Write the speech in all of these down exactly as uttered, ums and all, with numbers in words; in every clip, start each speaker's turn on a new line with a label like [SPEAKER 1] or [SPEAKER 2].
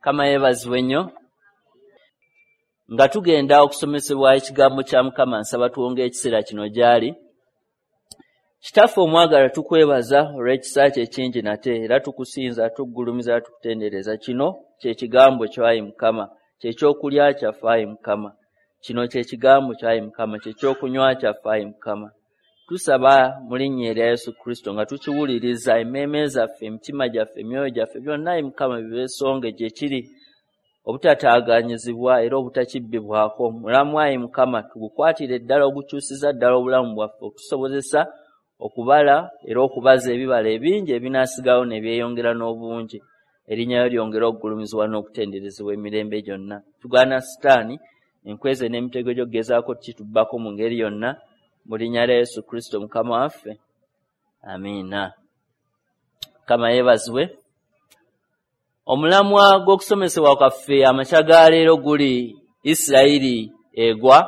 [SPEAKER 1] Mukama yeebazibwe nnyo. Nga tugenda okusomesebwa ekigambo kya Mukama, nsaba tuwonge ekiseera kino gy'ali. Kitaffe omwagala, tukwebaza olw'ekisa kye ekingi nate, era tukusinza, tukugulumiza, tukutendereza. Kino kye kigambo kyo, ayi Mukama, kye kyokulya kyaffe, ayi Mukama. Kino kye kigambo kyo, ayi Mukama, kye kyokunywa kyaffe, ayi Mukama. Tusaba mu linnya erya Yesu Kristo nga tukiwuliriza, emmeeme zaffe, emitima gyaffe, emyoyo gyaffe, byonna, ayi Mukama, bibeesonge gye kiri, obutataaganyizibwa era obutakibbibwako. Mulamu, ayi Mukama, tugukwatire ddala ogukyusiza ddala obulamu bwaffe, okutusobozesa okubala era okubaza ebibala ebingi ebinaasigalawo ne byeyongera n'obungi. Erinnya lyo lyongere okugulumizibwa n'okutenderezebwa emirembe gyonna. Tugaana Sitaani, enkweze n'emitego gy'okugezaako kitubbako mu ngeri yonna, mu linnya lya Yesu Kristo Mukama waffe. Amiina. Mukama yeebazibwe. Omulamwa gw'okusomesebwa kwaffe amakya ga leero guli Isirayiri egwa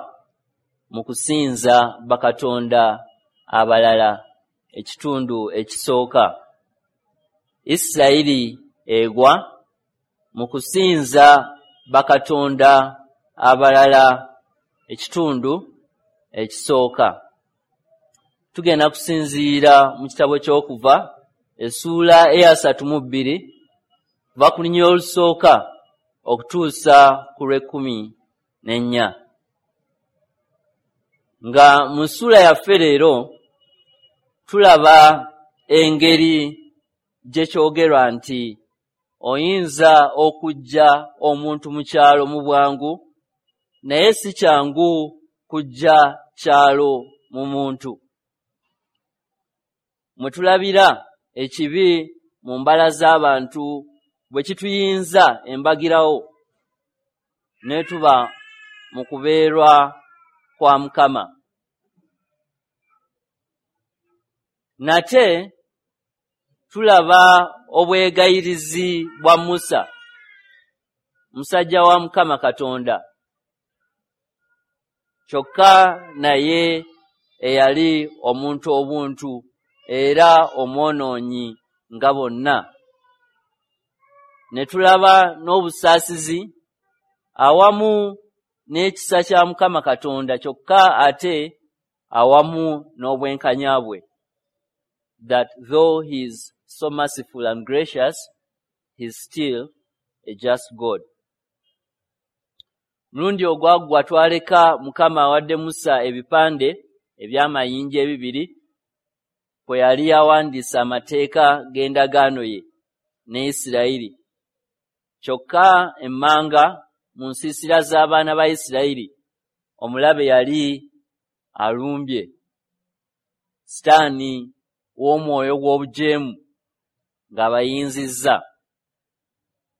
[SPEAKER 1] mu kusinza bakatonda abalala, ekitundu ekisooka. Isirayiri egwa mu kusinza bakatonda abalala, ekitundu ekisooka. Tugenda kusinziira mu kitabo ky'Okuva, essuula eyasatu mu bbiri, kuva ku lunyiriri olusooka okutuusa ku lw'ekkumi n'ennya. Nga mu ssuula yaffe leero tulaba engeri gye kyogerwa nti oyinza okuggya omuntu mu kyalo mu bwangu, naye si kyangu kuggya kyalo mu muntu. Mwe tulabira ekibi mu mbala z'abantu bwe kituyinza embagirawo ne tuba mu kubeerwa kwa Mukama. Nate tulaba obwegayirizi bwa Musa, musajja wa Mukama Katonda, kyokka naye eyali omuntu obuntu era omwonoonyi nga bonna. Ne tulaba n'obusaasizi awamu n'ekisa kya Mukama Katonda, kyokka ate awamu n'obwenkanya bwe. That though he is so merciful and gracious, he is still a just God. Mulundi ogwaggwa twaleka Mukama awadde Musa ebipande eby'amayinja ebibiri kwe yali awandiise amateeka g'endagaano ye ne Isirayiri. Kyokka emmanga mu nsiisira z'abaana ba Isirayiri omulabe yali alumbye, Sitaani w'omwoyo gw'obujeemu ng'abayinzizza.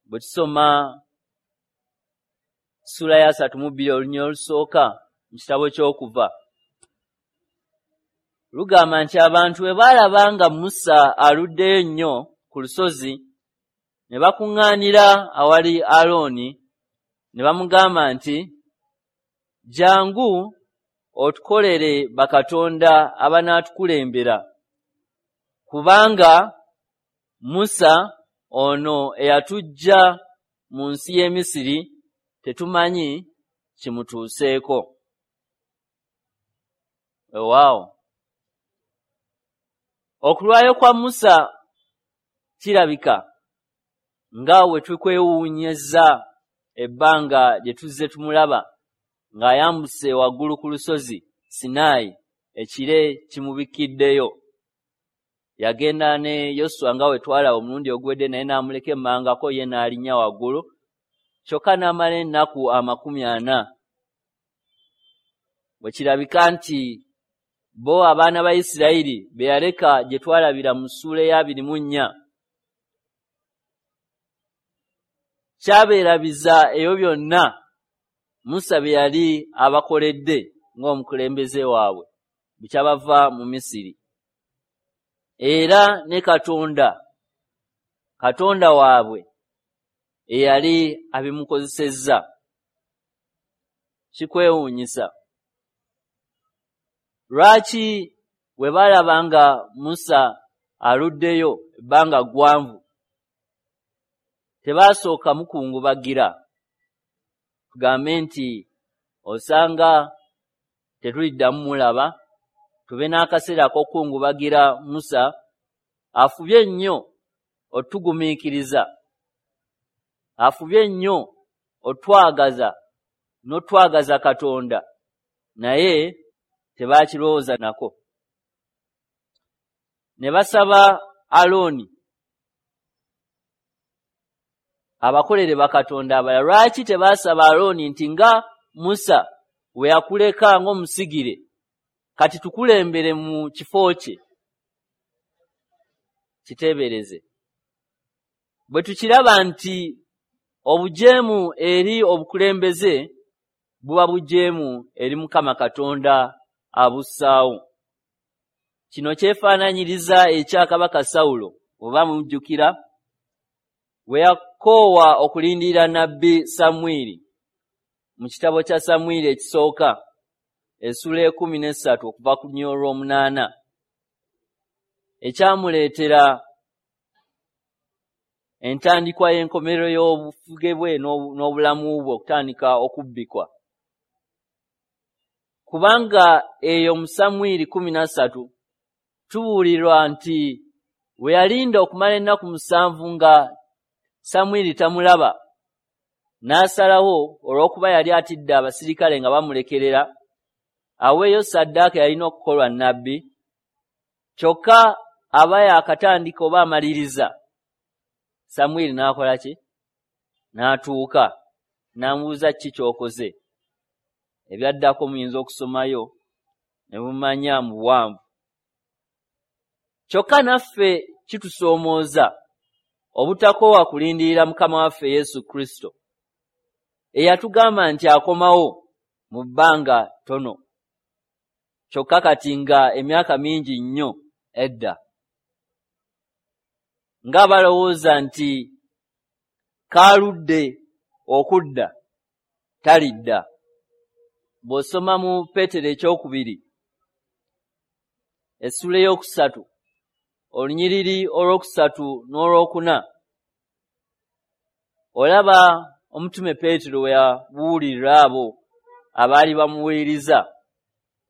[SPEAKER 1] Bwe tusoma ssuula ya asatu mu bbiri olunyiriri olusooka mu kitabo ky'Okuva, lugamba nti abantu bwe baalaba nga Musa aluddeyo nnyo ku lusozi, ne bakuŋŋaanira awali Alooni ne bamugamba nti, "Jangu otukolere bakatonda abanaatukulembera, kubanga Musa ono eyatuggya mu nsi y'e Misiri tetumanyi kimutuuseeko." Weewaawo, okulwayo kwa Musa kirabika nga we tukwewuunyizza ebbanga lye tuzze tumulaba ng'ayambuse waggulu ku lusozi Sinaayi, ekire kimubikkiddeyo. Yagenda ne Yoswa nga we twalaba omulundi oguwedde, naye n'amuleka emmangako ye n'alinnya waggulu, kyokka n'amala ennaku amakumi ana. Bwe kirabika nti bo abaana ba Isirayiri be yaleka gye twalabira mu ssuula ey'abiri mu nnya, kyabeerabiza ebyo byonna Musa bye yali abakoledde ng'omukulembeze waabwe bwe kyabava mu Misiri. Era ne Katonda, Katonda waabwe eyali abimukozesezza. Kikwewuunyisa. Lwaki bwe baalaba nga Musa aluddeyo ebbanga ggwanvu Tebaasooka mukungubagira, tugambe nti osanga tetuliddamu mulaba, tube n'akaseera ak'okukungubagira Musa afubye nnyo otugumiikiriza, afubye nnyo otwagaza n'otwagaza Katonda, naye tebaakirowooza nako. Ne basaba Alooni abakolere bakatonda abalala. Lwaki tebaasaba Alooni nti nga Musa we yakuleka ng'omusigire, kati tukulembere mu kifo kye? Kiteebereze. Bwe tukiraba nti obujeemu eri obukulembeze buba bujeemu eri Mukama Katonda abussaawo. Kino kyefaananyiriza ekya Kabaka Sawulo, oba mujjukira, we yakoowa okulindirira nnabbi Samwiri mu kitabo kya Samwiri ekisooka essula ekkumi n'essatu okuva ku lunyiriri olw'omunaana, ekyamuleetera entandikwa y'enkomerero y'obufuge bwe n'obulamu bwe okutandika okubbikwa. Kubanga eyo mu Samwiri kkumi na ssatu tubuulirwa nti we yalinda okumala ennaku musanvu nga Samwiri tamulaba, n'asalawo olw'okuba yali atidde abasirikale nga bamulekerera, aweeyo ssaddaaka yalina okukolwa nnabbi, kyokka aba yaakatandika oba amaliriza, Samwiri n'akola ki? N'atuuka, n'amubuuza ki ky'okoze. Ebyaddako muyinza okusomayo ne mumanya mu buwanvu. Kyokka naffe kitusoomooza obutakoowa kulindirira Mukama waffe Yesu Kristo, eyatugamba nti akomawo mu bbanga ttono, kyokka kati nga emyaka mingi nnyo edda. Ng'abalowooza nti kaaludde okudda, talidda. Bw'osoma mu Peetero ekyokubiri essula ey'okusatu olunyiriri olwokusatu n'olwokuna, olaba omutume Peetero we yabuulirira abo abaali bamuwuliriza.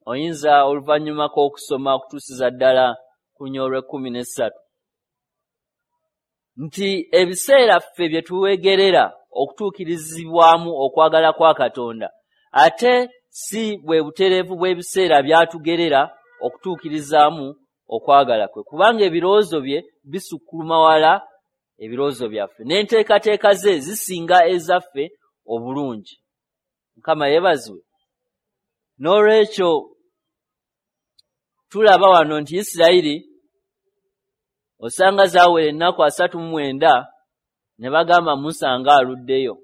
[SPEAKER 1] Oyinza oluvannyumako okusoma okutuusiza ddala ku lunyiriri olw'ekkumi n'essatu nti ebiseera ffe bye tuwegerera okutuukirizibwamu okwagala kwa Katonda, ate si bwe butereevu bw'ebiseera byatugerera okutuukirizaamu okwagala kwe, kubanga ebirowoozo bye bisukkuluma wala ebirowoozo byaffe, n'enteekateeka ze zisinga ezaffe obulungi. Mukama yeebazibwe. N'olwekyo tulaba wano nti Isirayiri osanga zaawera ennaku asatu mu mwenda ne bagamba Musa ng'aluddeyo,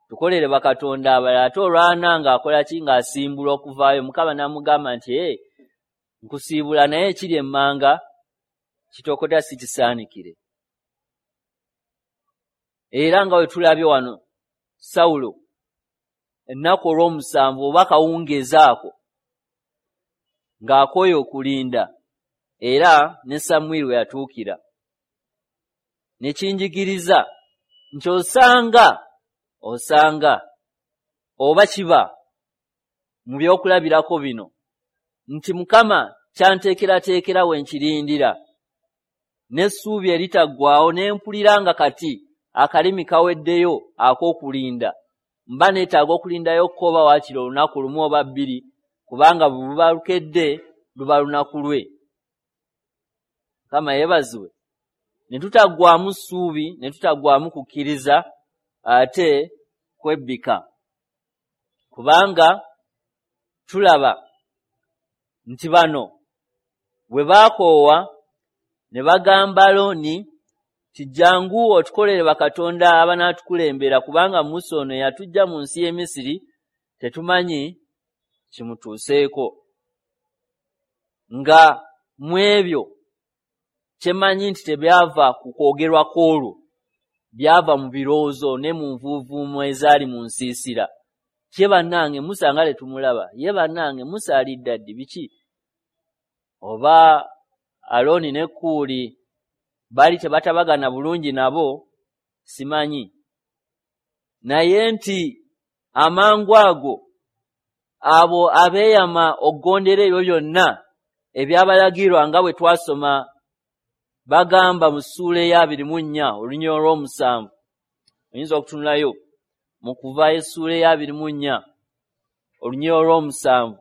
[SPEAKER 1] tukolere bakatonda abalala. Ate olwana ng'akola ki? Ng'asimbula okuvaayo. Mukama n'amugamba nti ee, nkusiibula, naye ekiri emmanga kitokota si kisaanikire. Era nga bwe tulabye wano Sawulo ennaku olw'omusanvu oba kawungeezi ako ng'akooye okulinda, era ne Samwiri we yatuukira. Ne kinjigiriza nti osanga osanga oba kiba mu byokulabirako bino nti Mukama kyanteekerateekera we nkirindira n'essuubi eritaggwaawo, ne mpulira nga kati akalimi kaweddeyo ak'okulinda, mba neetaaga okulindayo ko oba waakiri olunaku lumu oba bbiri, kubanga bwe buba lukedde luba lunaku lwe. Mukama yeebazibwe. Ne tutaggwaamu ssuubi, ne tutaggwaamu kukkiriza, ate kwebbika, kubanga tulaba nti bano bwe baakoowa ne bagamba Alooni nti jjangu otukolere bakatonda abanaatukulembera, kubanga Musa ono yatujja mu nsi y'e Misiri tetumanyi kimutuuseeko. Nga mu ebyo kyemanyi nti tebyava ku kwogerwa kw'olwo, byava mu birowoozo ne mu nvuuvuumo ezaali mu nsiisira. Ye bannange Musa nga tetumulaba, ye bannange Musa alidda ddi, biki? Oba Alooni ne Kuuli baali tebatabagana bulungi nabo, Simanyi. Naye nti amangu ago abo abeeyama okugondera ebyo byonna ebyabalagirwa nga bwe twasoma bagamba mu ssuula ey'abiri mu nnya olunyiriri olw'omusanvu. Oyinza okutunulayo mu Kuva essuula ey'abiri mu nnya olunyiriri olw'omusanvu.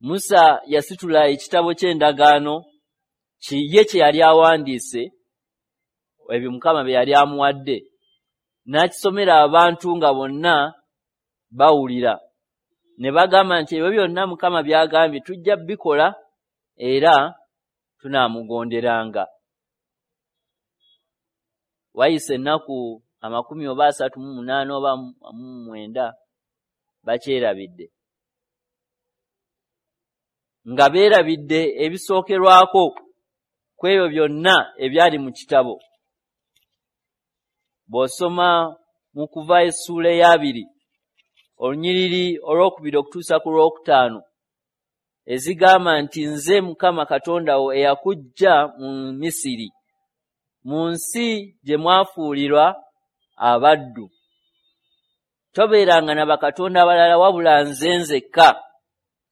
[SPEAKER 1] Musa yasitula ekitabo ky'endagaano ye kye yali awandiise, ebyo Mukama bye yali amuwadde, n'akisomera abantu nga bonna bawulira. Ne bagamba nti ebyo byonna Mukama by'agambye tujja bikola era tunaamugonderanga. Wayise ennaku amakumi oba asatu mu munaana oba mu mwenda bakyerabidde. Nga beerabidde ebisookerwako ku ebyo byonna ebyali mu kitabo. Bw'osoma mu Kuva essuula ey'abiri olunyiriri olwokubiri okutuusa ku lwokutaano ezigamba nti nze Mukama Katonda wo eyakuggya mu Misiri, mu nsi gye mwafuulirwa abaddu. Tobeeranga na bakatonda abalala wabula nze nzekka.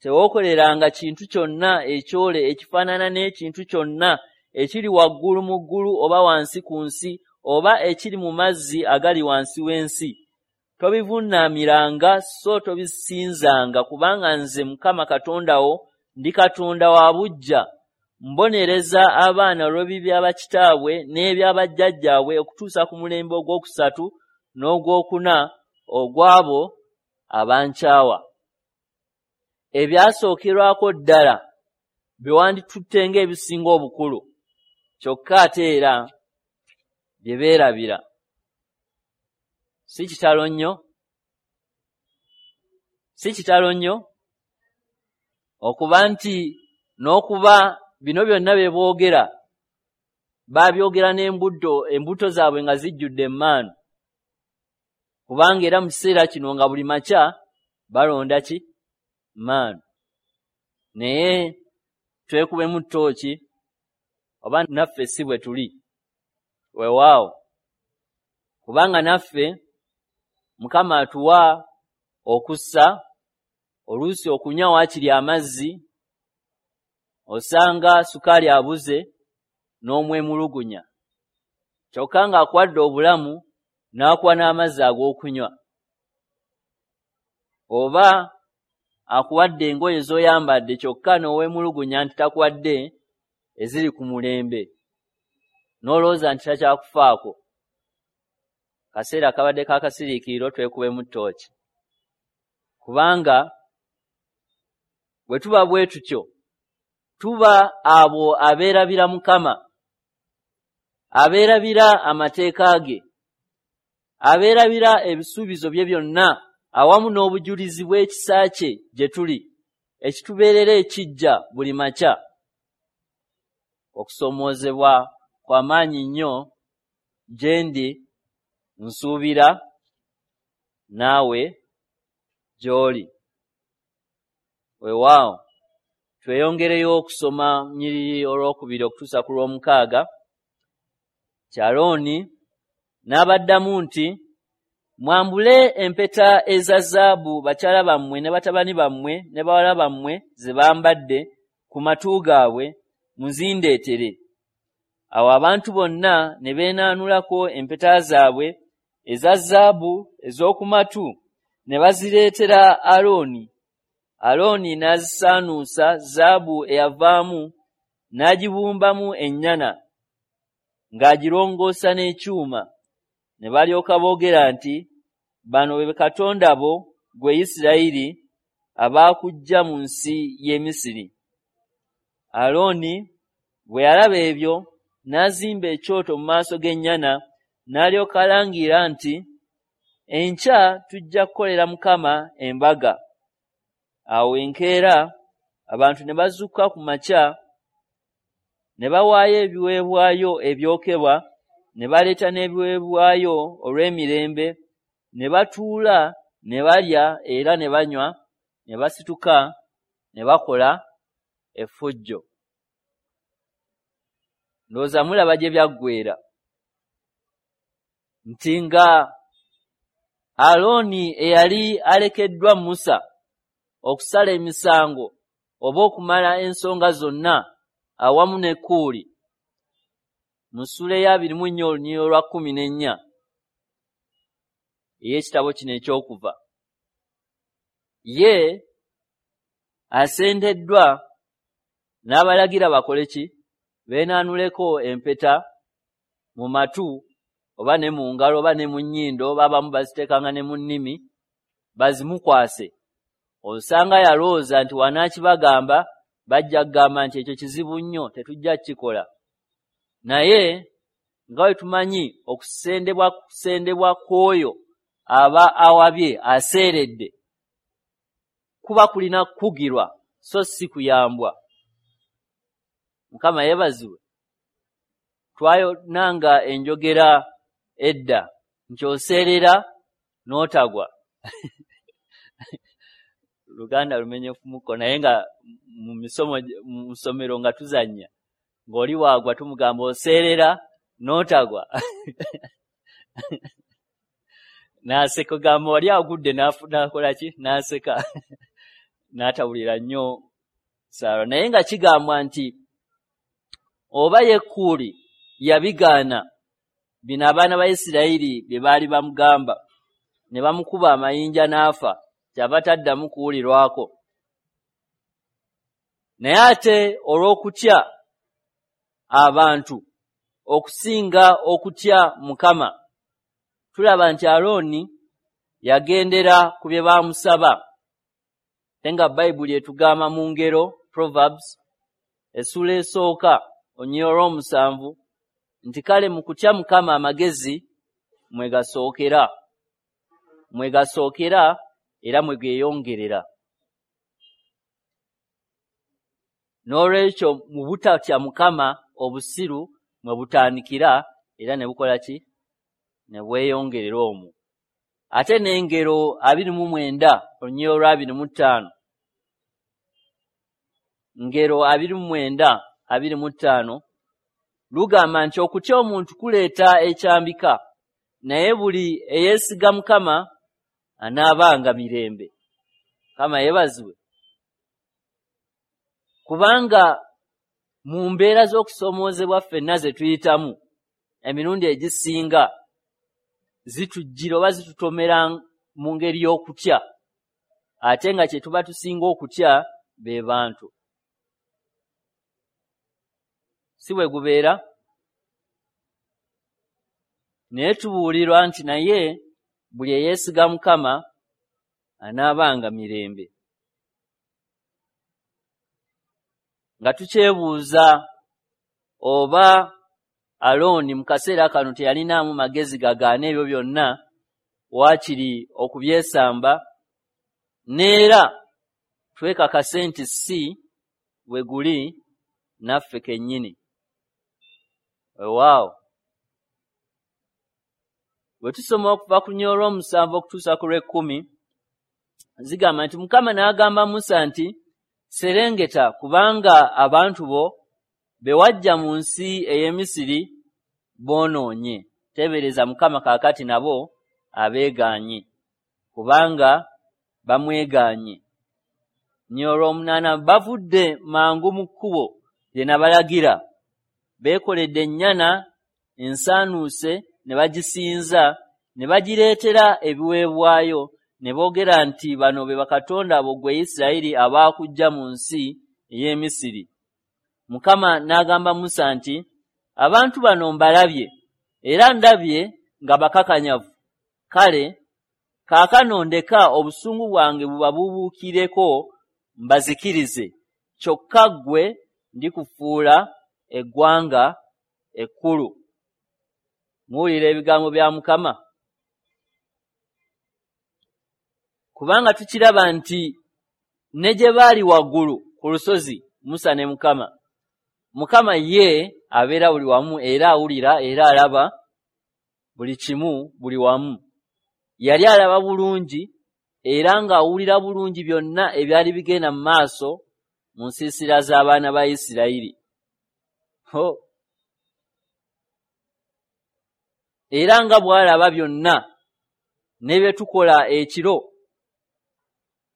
[SPEAKER 1] Tewookoleranga kintu kyonna ekyole ekifaanana n'ekintu kyonna ekiri waggulu mu ggulu oba wansi ku nsi oba ekiri mu mazzi agali wansi w'ensi. Tobivuunamiranga so tobisinzanga, kubanga nze Mukama Katonda wo ndi Katonda wa buggya. Mbonereza abaana olw'ebibi bya bakitaabwe n'ebya bajjajjaabwe okutuusa ku mulembe ogwokusatu n'ogwokuna ogw'abo abankyawa. Ebyasookerwako ddala bye wanditutte ng'ebisinga obukulu, kyokka ate era bye beerabira. Si kitalo nnyo? Si kitalo nnyo okuba nti n'okuba bino byonna bye boogera baabyogera n'embuto, embuto zaabwe nga zijjudde emmaanu, kubanga era mu kiseera kino nga buli makya balonda ki? Mmaanu. Naye twekubemu ttooki oba naffe si bwe tuli. Weewaawo, kubanga naffe Mukama atuwa okussa, oluusi okunywa waakiri amazzi, osanga sukaali abuze n'omwemulugunya, kyokka ng'akuwadde obulamu n'akuwa n'amazzi ag'okunywa, oba akuwadde engoye z'oyambadde kyokka n'oweemulugunya nti takuwadde eziri ku mulembe, n'olowooza nti takyakufaako. Kaseera kabadde k'akasiriikiriro, twekubemu ttooki, kubanga bwe tuba bwe tutyo tuba abo abeerabira Mukama, abeerabira amateeka ge, abeerabira ebisuubizo bye byonna awamu n'obujulizi bw'ekisa kye gye tuli, ekitubeerera ekijja buli makya. Okusoomoozebwa kwa maanyi nnyo gye ndi, nsuubira naawe gy'oli. Weewaawo, tweyongereyo okusoma nnyiriri olwokubiri okutuusa ku lw'omukaaga. Alooni n'abaddamu nti, mwambule empeta eza zaabu bakyala bammwe ne batabani bammwe ne bawala bammwe ze bambadde ku matu gaabwe, muzindeetere. Awo abantu bonna ne beenaanulako empeta zaabwe eza zaabu ez'oku matu ne bazireetera Alooni. Alooni n'azisaanuusa zaabu eyavaamu n'agibumbamu ennyana ng'agirongoosa n'ekyuma. Ne balyoka boogera nti, bano be bakatonda bo ggwe Isirayiri abaakuggya mu nsi y'e Misiri. Alooni bwe yalaba ebyo n'azimba ekyoto mu maaso g'ennyana, n'alyoka alangira nti, enkya tujja kukolera Mukama embaga. Awo enkeera abantu ne bazuukuka ku makya ne bawaayo ebiweebwayo ebyokebwa, ne baleeta n'ebiweebwayo olw'emirembe, ne batuula ne balya era ne banywa, ne basituka ne bakola effujjo. Ndowooza mulaba gye byaggweera nti nga Alooni eyali alekeddwa Musa okusala emisango oba okumala ensonga zonna awamu ne Kuuli mu ssuula eya abiri mu nnya olunyiriri olwa kkumi n'ennya ey'ekitabo kino ekyokuva, ye asendeddwa n'abalagira bakole ki? Beenaanuleko empeta mu matu oba ne mu ngalo oba ne mu nnyindo, oba abamu baziteekanga ne mu nnimi, bazimukwase. Osanga yalowooza nti wanaakibagamba bajja kugamba nti ekyo kizibu nnyo, tetujja kukikola. Naye nga bwe tumanyi okusendebwa kusendebwa kw'oyo aba awabye aseeredde kuba kulina kukugirwa so si kuyambwa. Mukama yeebazibwe. Twayonanga enjogera edda nti oseerera n'otagwa. Luganda lumenyefumuko, naye nga mu misomo mu ssomero nga tuzannya ng'oli waagwa tumugamba oseerera n'otagwa. N'aseka, gamba wali agudde n'akola ki? N'aseka n'atawulira nnyo Saara. Naye nga kigambwa nti oba ye Kuuli yabigaana bino abaana ba Isirayiri bye baali bamugamba, ne bamukuba amayinja n'afa, kyava taddamu kuwulirwako. Naye ate olw'okutya abantu okusinga okutya Mukama, tulaba nti Alooni yagendera ku bye baamusaba. Ate nga Bayibuli etugamba mu ngero Proverbs essuula esooka olunyiriri olw'omusanvu nti kale mu kutya Mukama amagezi mwe gasookera, mwe gasookera era mwe geeyongerera. N'olwekyo mu butatya Mukama obusiru mwe butandikira era ne bukola ki? Ne bweyongerera omwo. Ate n'engero abiri mu mwenda olunyiriri olwa abiri mu ttaano, ngero abiri mu mwenda abiri mu ttaano lugamba nti okutya omuntu kuleeta ekyambika, naye buli eyeesiga Mukama anaabanga mirembe. Mukama yeebazibwe. Kubanga mu mbeera z'okusoomoozebwa ffenna ze tuyitamu emirundi egisinga zitujjira oba zitutomera mu ngeri y'okutya, ate nga kye tuba tusinga okutya be bantu. Si bwe gubeera? Naye tubuulirwa nti naye buli eyeesiga Mukama anaabanga mirembe. Nga tukyebuuza oba Alooni mu kaseera kano teyalinaamu magezi gagaana ebyo byonna, waakiri okubyesamba, n'era twekakase nti si bwe guli naffe kennyini. Weewaawo. Bwe tusoma okuva ku lunyiriri olw'omusanvu okutuusa ku lw'ekkumi, zigamba nti Mukama n'agamba Musa nti serengeta, kubanga abantu bo be wajja mu nsi ey'e Misiri boonoonye. Teebereza Mukama kaakati nabo abeegaanye, kubanga bamwegaanye. Lunyiriri olw'omunaana, bavudde mangu mu kkubo lye nabalagira, beekoledde ennyana ensaanuuse ne bagisinza, ne bagireetera ebiweebwayo, ne boogera nti bano be bakatonda bo ggwe Isirayiri abaakuggya mu nsi ey'e Misiri. Mukama n'agamba Musa nti abantu bano mbalabye, era ndabye nga bakakanyavu. Kale kaakano ndeka obusungu bwange bubabuubuukireko mbazikirize, kyokka ggwe ndikufuula eggwanga ekkulu. Muwulira ebigambo bya Mukama? Kubanga tukiraba nti ne gye baali waggulu ku lusozi Musa ne Mukama, Mukama ye abeera buli wamu era awulira era alaba buli kimu buli wamu. Yali alaba bulungi era ng'awulira bulungi byonna ebyali bigenda mu maaso mu nsiisira z'abaana ba Isirayiri. Ho! Era nga bw'alaba byonna ne bye tukola ekiro,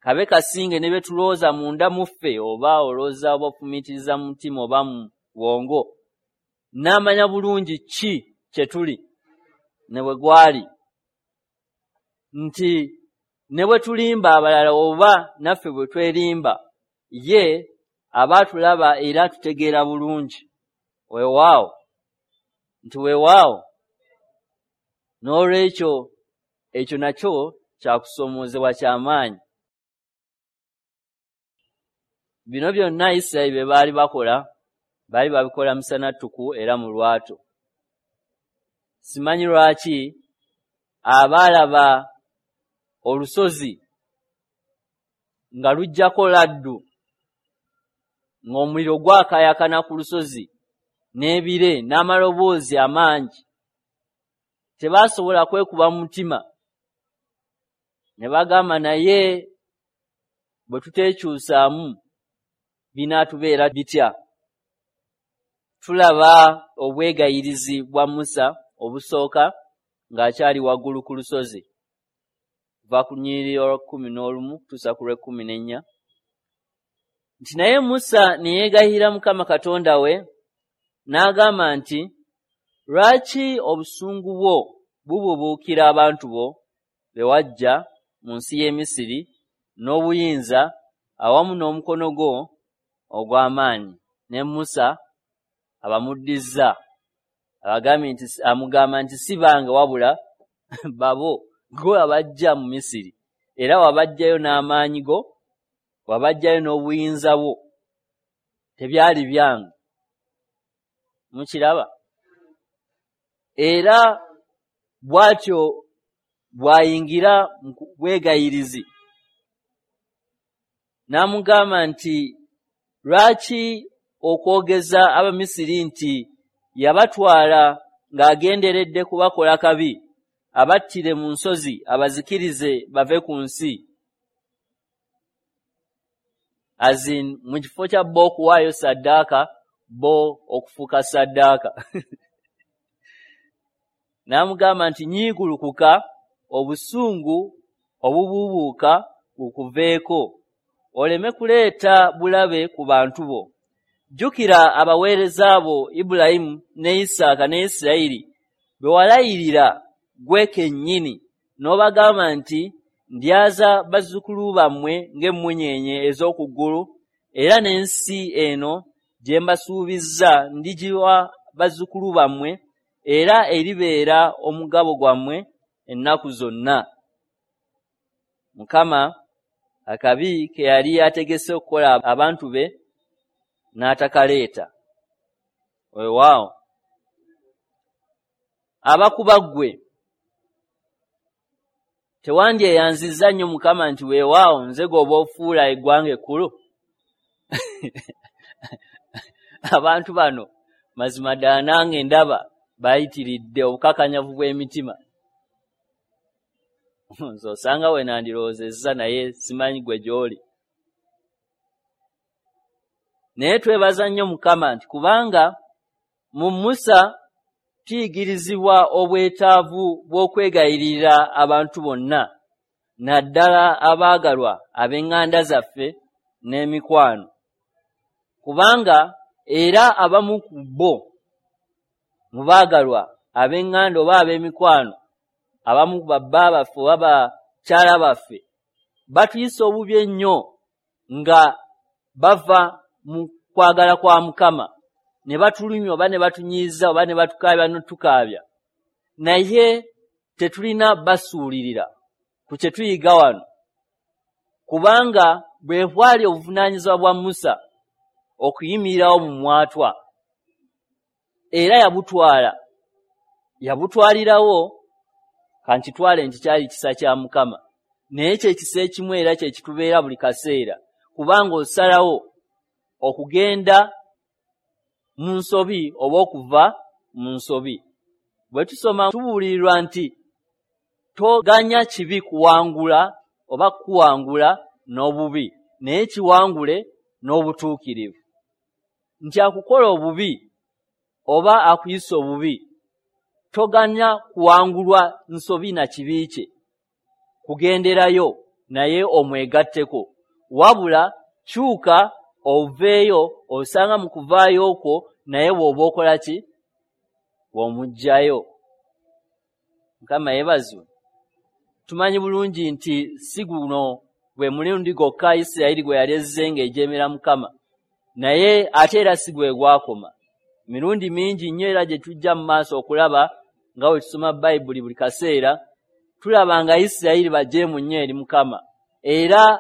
[SPEAKER 1] kabe kasinge ne bye tulowooza munda mu ffe, oba olowooza oba ofumiitiriza mu mutima oba mu bwongo, n'amanya bulungi ki kye tuli ne bwe gwali, nti ne bwe tulimba abalala oba naffe bwe twerimba, ye aba atulaba era atutegeera bulungi. Weewaawo, nti weewaawo. N'olwekyo ekyo nakyo kyakusoomoozebwa ky'amaanyi. Bino byonna Isirayiri bye baali bakola, baali babikola musana ttuku era mu lwatu. Simanyi lwaki abaalaba olusozi nga lujjako laddu, ng'omuliro gwakaayakana ku lusozi n'ebire n'amaloboozi amangi, tebaasobola kwekuba mu mutima ne bagamba, naye bwe tuteekyusaamu binaatubeera bitya? Tulaba obwegayirizi bwa Musa obusooka ng'akyali waggulu ku lusozi, va ku lunyiriri olw'ekkumi n'olumu kutuusa ku lw'ekkumi n'ennya, nti naye Musa ne yeegayirira Mukama Katonda we n'agamba nti, lwaki obusungu bwo bubuubuukira abantu bo be waggya mu nsi y'e Misiri n'obuyinza awamu n'omukono gwo ogw'amaanyi? Ne Musa abamuddizza, abagambye nti, amugamba nti si bange wabula babo, gwe wabaggya mu Misiri, era wabaggyayo n'amaanyi go, wabaggyayo n'obuyinza bwo, tebyali byange. Mukiraba? Era bw'atyo bw'ayingira mu bwegayirizi n'amugamba nti, lwaki okwogeza Abamisiri nti yabatwala ng'agenderedde kubakola kabi, abattire mu nsozi, abazikirize bave ku nsi? Azin mu kifo kya bo okuwaayo ssaddaaka, bo okufuuka ssaddaaka. N'amugamba nti, nyiigulukuka, obusungu obubuubuuka bukuveeko, oleme kuleeta bulabe ku bantu bo. Jjukira abaweereza bo Ibulayimu ne Isaaka ne Isirayiri be walayirira ggwe kennyini, n'obagamba nti, ndyaza bazzukulu bammwe ng'emmunyeenye ez'oku ggulu, era n'ensi eno gye mbasuubizza ndigiwa bazzukulu bammwe, era eribeera omugabo gwammwe ennaku zonna. Mukama akabi ke yali ategese okukola abantu be n'atakaleeta. Weewaawo, abakuba ggwe tewandyeyanzizza nnyo Mukama nti weewaawo nze gw'oba ofuula eggwanga ekkulu? Abantu bano mazima ddala nange ndaba bayitiridde obukakanyavu bw'emitima. Nze osanga we nandirowoozezza, naye simanyi gwe gy'oli. Naye twebaza nnyo Mukama nti kubanga mu Musa tuyigirizibwa obwetaavu bw'okwegayirira abantu bonna, naddala abaagalwa ab'eŋŋanda zaffe n'emikwano. Kubanga era abamu ku bo mu baagalwa ab'eŋŋanda oba ab'emikwano, abamu ku babba baffe oba bakyala baffe, batuyisa obubi ennyo nga bava mu kwagala kwa Mukama, ne batulumya oba ne batunyiiza oba ne batukaabya n'otukaabya. Naye tetulina basuulirira ku kye tuyiga wano, kubanga bwe bwali obuvunaanyizibwa bwa Musa okuyimirirawo mu mwatwa, era yabutwala, yabutwalirawo. Kankitwale nti kyali kisa kya Mukama, naye kye kisa ekimu era kye kitubeera buli kaseera, kubanga osalawo okugenda mu nsobi oba okuva mu nsobi. Bwe tusoma tubuulirirwa nti toganya kibi kuwangula oba kuwangula n'obubi, naye kiwangule n'obutuukirivu. Nti akukola obubi oba akuyisa obubi, Toganya kuwangulwa nsobi na kibi kye kugenderayo naye omwegatteko, wabula kyuka oveeyo, osanga mu kuvaayo okwo naye bw'oba okola ki? Bw'omuggyayo. Mukama yeebazibwe. Tumanyi bulungi nti si guno gwe mulundi gwokka Isirayiri gwe yali ezze ng'ejeemera Mukama, naye ate era si gwe gwakoma. Mirundi mingi nnyo era gye tujja mu maaso okulaba nga bwe tusoma Bayibuli buli kaseera, tulaba nga Isirayiri bajeemu nnyo eri Mukama. Era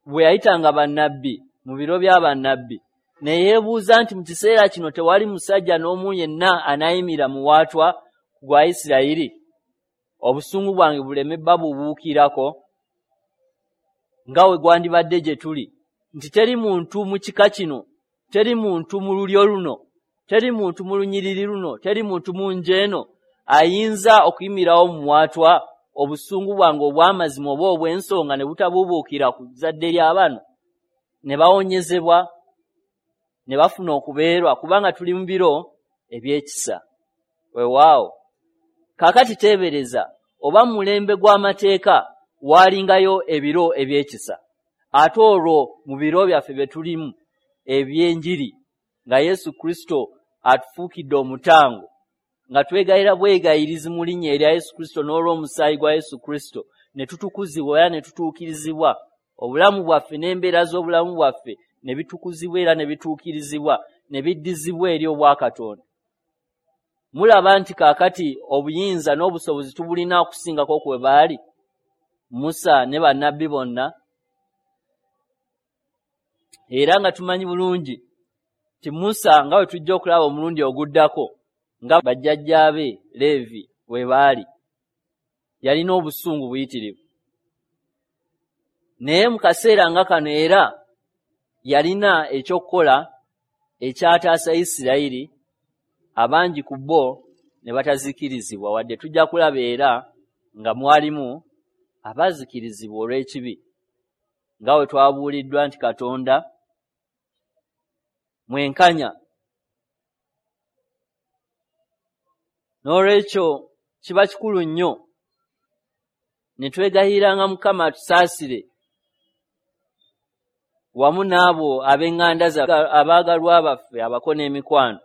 [SPEAKER 1] bwe yayitanga bannabbi mu biro bya bannabbi, ne yeebuuza nti mu kiseera kino tewali musajja n'omu yenna anaayimira muwaatwa gwa Isirayiri, obusungu bwange buleme babubuukirako nga we gwandibadde gye tuli, nti teri muntu mu kika kino, teri muntu mu lulyo luno, teri muntu mu lunyiriri luno, teri muntu mu nju eno ayinza okuyimirawo muwaatwa obusungu bwange obw'amazima oba obw'ensonga ne butabuubuukira ku zzadde ly'abano, ne bawonyezebwa ne bafuna okubeerwa, kubanga tuli mu biro eby'ekisa. Weewaawo. Kaakati teebereza oba mu mulembe gw'amateeka waalingayo ebiro eby'ekisa, ate olwo mu biro byaffe bye tulimu eby'enjiri nga Yesu Kristo atufuukidde omutango, nga twegayira bwegayirizi mu linnya erya Yesu Kristo n'olw'omusaayi gwa Yesu Kristo, ne tutukuzibwa era ne tutuukirizibwa. Obulamu bwaffe n'embeera z'obulamu bwaffe ne bitukuzibwa era ne bituukirizibwa ne biddizibwa eri obwakatonda. Mulaba nti kaakati obuyinza n'obusobozi tubulina okusingako kwe baali Musa ne bannabbi bonna. Era nga tumanyi bulungi nti Musa nga bwe tujja okulaba omulundi oguddako nga bajjajjaabe Leevi we baali, yalina obusungu buyitirivu. Naye mu kaseera nga kano era yalina ekyokukola ekyataasa Isirayiri, abangi ku bo ne batazikirizibwa, wadde tujja kulaba era nga mwalimu abaazikirizibwa olw'ekibi, nga bwe twabuuliddwa nti Katonda mwenkanya. N'olwekyo kiba kikulu nnyo ne twegayiranga Mukama atusaasire wamu n'abo ab'eŋŋanda zaffe, abaagalwa baffe, abako n'emikwano,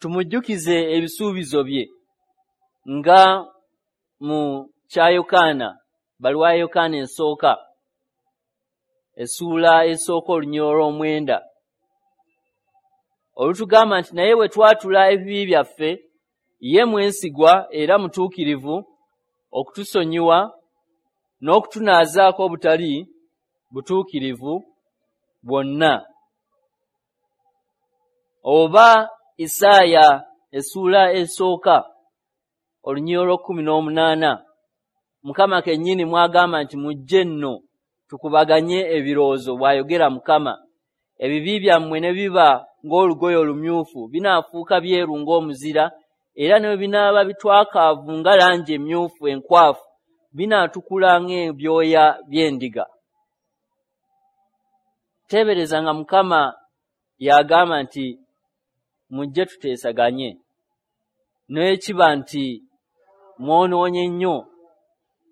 [SPEAKER 1] tumujjukize ebisuubizo bye nga mu kya Yokaana, bbaluwa ya Yokaana esooka essuula esooka olunyiriri olw'omwenda olutugamba nti naye bwe twatula ebibi byaffe, ye mwesigwa era mutuukirivu okutusonyiwa n'okutunaazaako obutali butuukirivu bwonna. Oba Isaaya essuula esooka olunyiriri olw'ekkumi n'omunaana, Mukama kennyini mwagamba nti mujje nno tukubaganye ebirowoozo, bw'ayogera Mukama. Ebibi byammwe ne biba ng'olugoye olumyufu, binaafuuka byeru ng'omuzira, era ne bwe binaaba bitwakaavu nga langi emyufu enkwafu, binaatukula ng'ebyoya by'endiga. Teebereza nga Mukama yagamba nti mujje tuteesaganye, n'ekiba nti mwonoonye nnyo,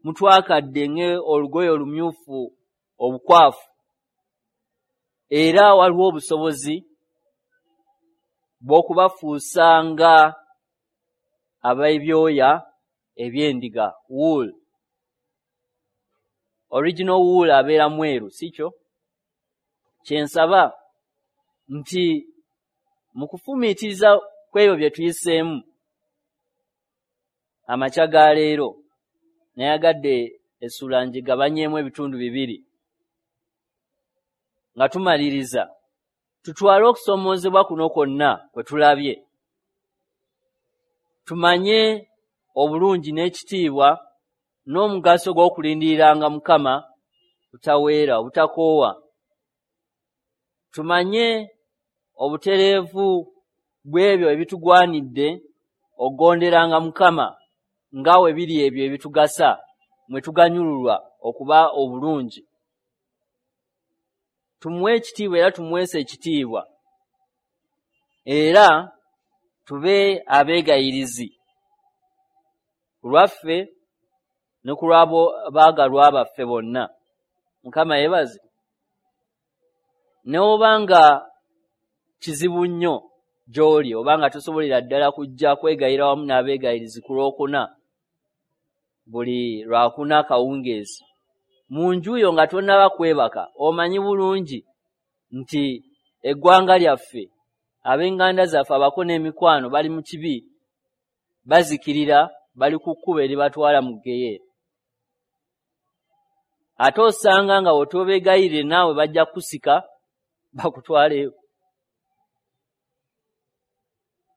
[SPEAKER 1] mutwakadde ng'olugoye olumyufu obukwafu, era waliwo obusobozi bw'okubafuusa nga ab'ebyoya eby'endiga, wool. Original wool abeera mweru, si kyo? Kye nsaba nti mu kufumiitiriza kw'ebyo bye tuyiseemu amakya ga leero, nayagadde essuula ngigabanyeemu ebitundu bibiri. Nga tumaliriza, tutwale okusoomoozebwa kuno kwonna kwe tulabye, tumanye obulungi n'ekitiibwa n'omugaso gw'okulindiriranga Mukama butaweera, obutakoowa. Tumanye obutereevu bw'ebyo ebitugwanidde okugonderanga Mukama nga we biri ebyo ebitugasa, mwe tuganyululwa okuba obulungi. Tumuwe ekitiibwa era tumuweese ekitiibwa, era tube abeegayirizi Ku lwaffe ne ku lw'abaagalwa baffe bonna. Mukama yeebaze. Ne oba nga kizibu nnyo gy'oli, oba nga tosobolera ddala kujja kwegayira wamu n'abeegayirizi ku lwokuna, buli lwakuna akawungeezi, mu nju yo nga tonnaba kwebaka, omanyi bulungi nti eggwanga lyaffe, ab'enganda zaffe, abako n'emikwano bali mu kibi, bazikirira, bali ku kkubo eribatwala mu ggeyeena. Ate osanga nga w'otobeegayirire naawe bajja kukusika bakutwaleyo.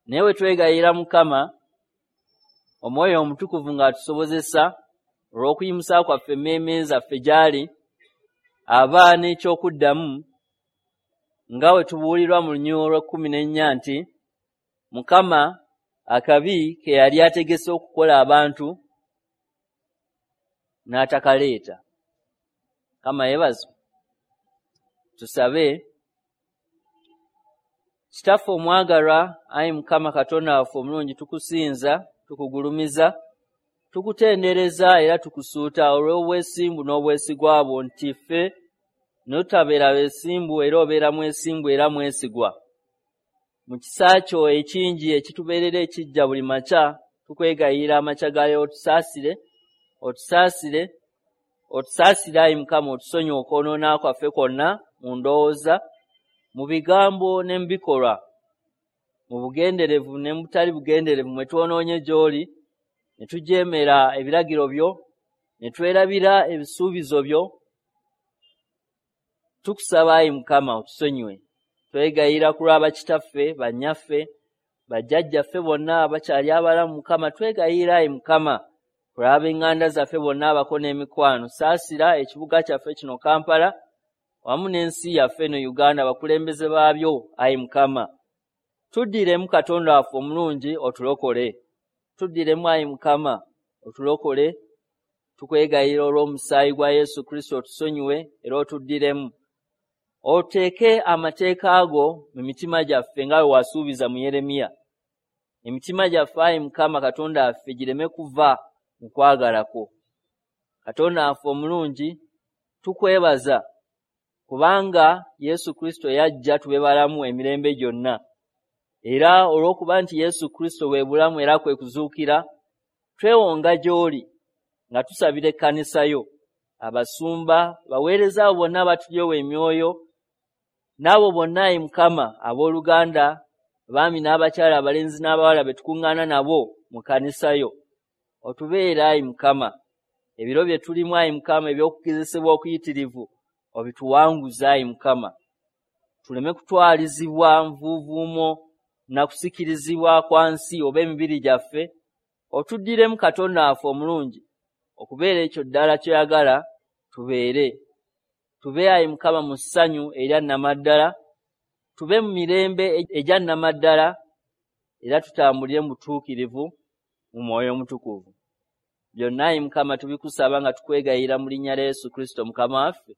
[SPEAKER 1] Naye bwe twegayirira Mukama, Omwoyo Omutukuvu ng'atusobozesa olw'okuyimusa kwaffe emmeeme zaffe gy'ali, aba n'ekyokuddamu nga bwe tubuulirwa mu lunyiriri olw'ekkumi n'ennya nti Mukama akabi ke yali ategese okukola abantu n'atakaleeta. Mukama yeebazibwe. Tusabe. Kitaffe omwagalwa, ayi Mukama Katonda waffe omulungi, tukusinza, tukugulumiza, tukutendereza era tukusuuta olw'obwesimbu n'obwesigwa bwo nti ffe n'otabeera beesimbu era obeera mwesimbu era mwesigwa. Mu kisa kyo ekingi ekitubeerera ekijja buli makya, tukwegayirira amakya ga leero otusaasire, otusaasire, otusaasire ayi Mukama, otusonyiwe okwonoona kwaffe kwonna mu ndowooza, mu bigambo ne mu bikolwa, mu bugenderevu ne mu butali bugenderevu mwe twonoonye gy'oli, ne tujeemera ebiragiro byo, ne twerabira ebisuubizo byo. Tukusaba ayi Mukama otusonyiwe. Twegayirira ku lwa bakitaffe, bannyaffe, bajjajjaffe bonna abakyali abalamu. Mukama twegayirira ayi Mukama ku lw'ab'eŋŋanda zaffe bonna abako n'emikwano. Saasira ekibuga kyaffe kino Kampala wamu n'ensi yaffe eno Uganda, abakulembeze baabyo ayi Mukama. Tuddiremu Katonda waffe omulungi otulokole. Tuddiremu ayi Mukama otulokole. Tukwegayirira olw'omusaayi gwa Yesu Kristo otusonyiwe era otuddiremu. Oteeke amateeka ago mu mitima gyaffe nga bwe wasuubiza mu Yeremiya. Emitima gyaffe ayi Mukama Katonda waffe gireme kuva mu kwagala kwo. Katonda waffe omulungi, tukwebaza kubanga Yesu Kristo yajja tube balamu emirembe gyonna. Era olw'okuba nti Yesu Kristo bwe bulamu era kwe kuzuukira, twewonga gy'oli nga tusabira ekkanisa yo, abasumba, baweereza abo bonna abatulyowa emyoyo, n'abo bonna ayi Mukama abooluganda, abaami n'abakyala, abalenzi n'abawala be tukuŋŋaana nabo mu kkanisa yo. Otubeere ayi Mukama, ebiro bye tulimu ayi Mukama eby'okugezesebwa okuyitirivu obituwanguze ayi Mukama. Tuleme kutwalizibwa nvuuvuumo na kusikirizibwa kwa nsi oba emibiri gyaffe. Otuddiremu Katonda waffe omulungi okubeera ekyo ddala ky'oyagala tubeere. Tube ayi Mukama mu ssanyu erya nnamaddala, tube mu mirembe egya nnamaddala, era tutambulire mu butuukirivu mu Mwoyo Omutukuvu. Byonna ayi Mukama tubikusaba nga tukwegayirira mu linnya lya Yesu Kristo Mukama waffe.